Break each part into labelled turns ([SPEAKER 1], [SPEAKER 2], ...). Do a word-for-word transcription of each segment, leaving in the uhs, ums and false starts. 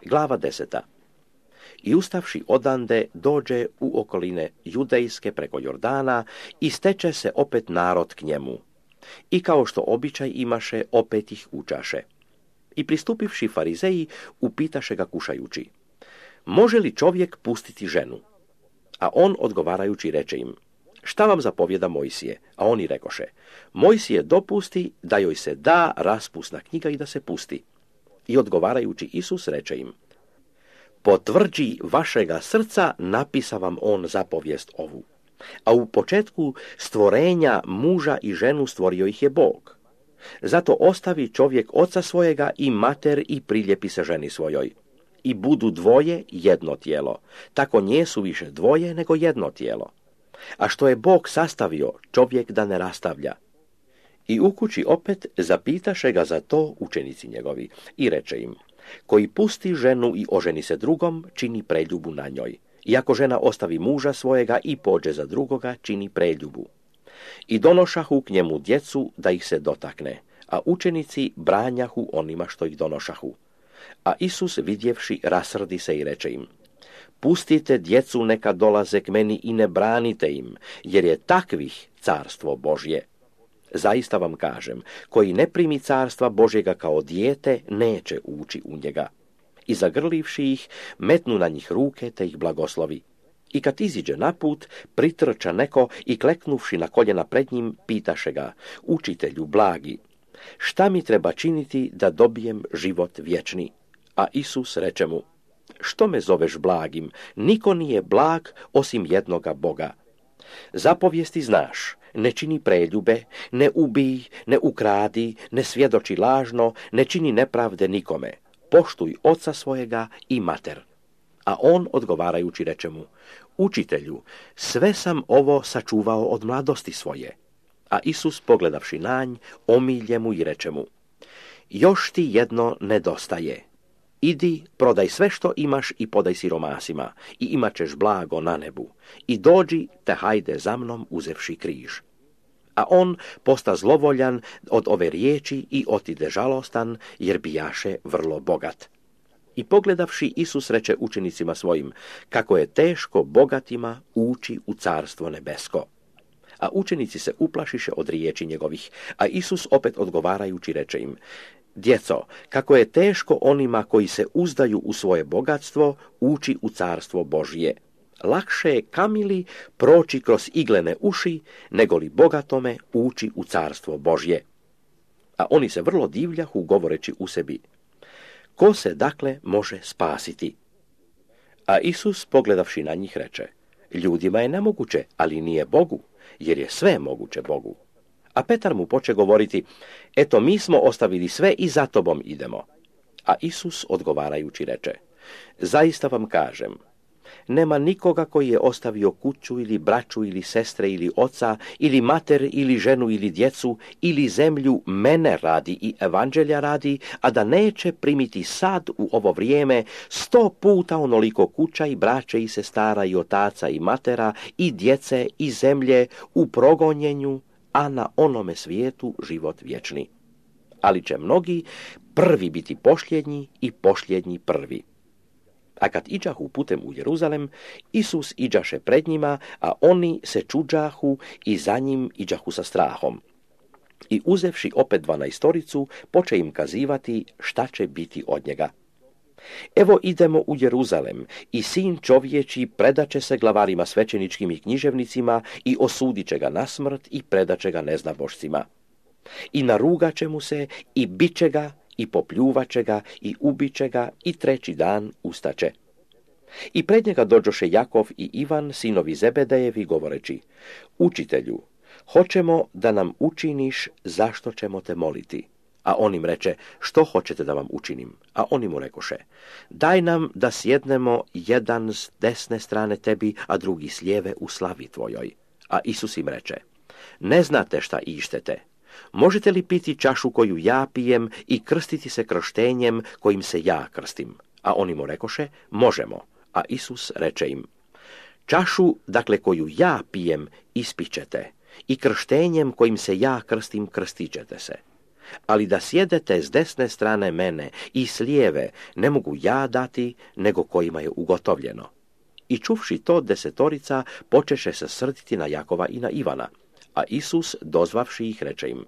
[SPEAKER 1] Glava deseta. I ustavši odande, dođe u okoline judejske preko Jordana i steče se opet narod k njemu. I kao što običaj imaše, opet ih učaše. I pristupivši farizeji, upitaše ga kušajući: može li čovjek pustiti ženu? A on odgovarajući reče im: šta vam zapovjeda Mojsije? A oni rekoše: Mojsije dopusti da joj se da raspusna knjiga i da se pusti. I odgovarajući Isus reče im: po tvrđi vašega srca napisa vam on zapovijest ovu. A u početku stvorenja muža i ženu stvorio ih je Bog. Zato ostavi čovjek oca svojega i mater i priljepi se ženi svojoj. I budu dvoje jedno tijelo. Tako njesu više dvoje nego jedno tijelo. A što je Bog sastavio, čovjek da ne rastavlja. I u kući opet zapitaše ga za to učenici njegovi i reče im: koji pusti ženu i oženi se drugom, čini preljubu na njoj. I ako žena ostavi muža svojega i pođe za drugoga, čini preljubu. I donošahu k njemu djecu da ih se dotakne, a učenici branjahu onima što ih donošahu. A Isus vidjevši rasrdi se i reče im: pustite djecu neka dolaze k meni i ne branite im, jer je takvih carstvo Božje. Zaista vam kažem, koji ne primi carstva Božjega kao dijete, neće ući u njega. I zagrlivši ih, metnu na njih ruke te ih blagoslovi. I kad iziđe na put, pritrča neko i kleknuvši na koljena pred njim, pitaše ga: učitelju blagi, šta mi treba činiti da dobijem život vječni? A Isus reče mu: što me zoveš blagim? Niko nije blag osim jednoga Boga. Zapovijesti znaš: ne čini preljube, ne ubij, ne ukradi, ne svjedoči lažno, ne čini nepravde nikome. Poštuj oca svojega i mater. A on odgovarajući reče mu: učitelju, sve sam ovo sačuvao od mladosti svoje. A Isus pogledavši na nj, omilje mu i reče mu: još ti jedno nedostaje. Idi, prodaj sve što imaš i podaj siromasima, i imat ćeš blago na nebu. I dođi te hajde za mnom uzevši križ. A on posta zlovoljan od ove riječi i otide žalostan, jer bijaše vrlo bogat. I pogledavši, Isus reče učenicima svojim: kako je teško bogatima ući u carstvo nebesko. A učenici se uplašiše od riječi njegovih, a Isus opet odgovarajući reče im: djeco, kako je teško onima koji se uzdaju u svoje bogatstvo ući u carstvo Božje. Lakše je kamili proći kroz iglene uši, nego li bogatome ući u carstvo Božje. A oni se vrlo divljahu, govoreći u sebi: ko se dakle može spasiti? A Isus pogledavši na njih reče: ljudima je nemoguće, ali nije Bogu, jer je sve moguće Bogu. A Petar mu poče govoriti: eto, mi smo ostavili sve i za tobom idemo. A Isus odgovarajući reče: zaista vam kažem, nema nikoga koji je ostavio kuću ili braću ili sestre ili oca ili mater ili ženu ili djecu ili zemlju mene radi i evanđelja radi, a da neće primiti sad u ovo vrijeme sto puta onoliko kuća i braće i sestara i otaca i matera i djece i zemlje u progonjenju, a na onome svijetu život vječni. Ali će mnogi prvi biti pošljednji i pošljednji prvi. A kad iđahu putem u Jeruzalem, Isus iđaše pred njima, a oni se čuđahu i za njim iđahu sa strahom. I uzevši opet dvanaestoricu, poče im kazivati šta će biti od njega. Evo idemo u Jeruzalem i sin čovječi predaće se glavarima svećeničkim i književnicima i osudit će ga na smrt i predaće ga neznabošcima. I narugat će mu se i bit će ga i popljuvat će ga i ubit će ga i treći dan ustaće. I pred njega dođoše Jakov i Ivan, sinovi Zebedejevi, govoreći: učitelju, hoćemo da nam učiniš zašto ćemo te moliti. A on im reče: što hoćete da vam učinim? A oni mu rekoše: daj nam da sjednemo jedan s desne strane tebi, a drugi s lijeve u slavi tvojoj. A Isus im reče: ne znate šta ištete. Možete li piti čašu koju ja pijem i krstiti se krštenjem kojim se ja krstim? A oni mu rekoše: možemo. A Isus reče im: čašu, dakle, koju ja pijem, ispićete, i krštenjem kojim se ja krstim, krstit ćete se. ali da sjedete s desne strane mene i s lijeve ne mogu ja dati, nego kojima je ugotovljeno. I čuvši to, desetorica počeše se srditi na Jakova i na Ivana. A Isus, dozvavši ih, reče im: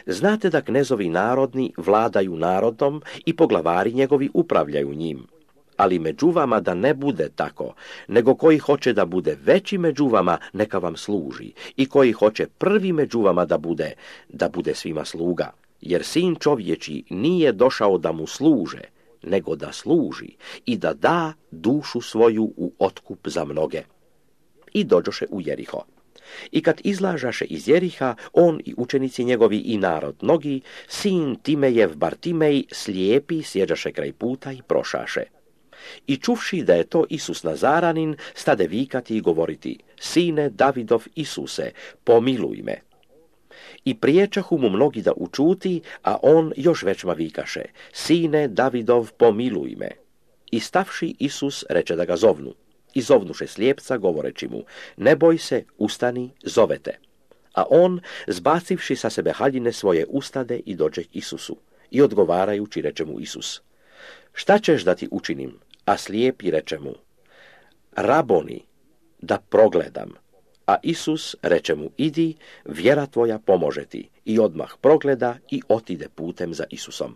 [SPEAKER 1] znate da knezovi narodni vladaju narodom i poglavari njegovi upravljaju njim. Ali među vama da ne bude tako, nego koji hoće da bude veći među vama, neka vam služi, i koji hoće prvi među vama da bude, da bude svima sluga. Jer sin čovječi nije došao da mu služe, nego da služi i da da dušu svoju u otkup za mnoge. I dođoše u Jeriho. I kad izlažaše iz Jeriha, on i učenici njegovi i narod mnogi, sin Timejev Bartimej, slijepi, sjeđaše kraj puta i prošaše. I čuvši da je to Isus Nazaranin, stade vikati i govoriti: sine Davidov Isuse, pomiluj me. I priječahu mu mnogi da učuti, a on još većma vikaše: sine Davidov, pomiluj me. I stavši Isus reče da ga zovnu. I zovnuše slijepca, govoreći mu: ne boj se, ustani, zovete. A on, zbacivši sa sebe haljine svoje, ustade i dođe k Isusu. I odgovarajući reče mu Isus: šta ćeš da ti učinim? A slijepi reče mu: Raboni, da progledam. A Isus reče mu: idi, vjera tvoja pomože ti. I odmah progleda i otide putem za Isusom.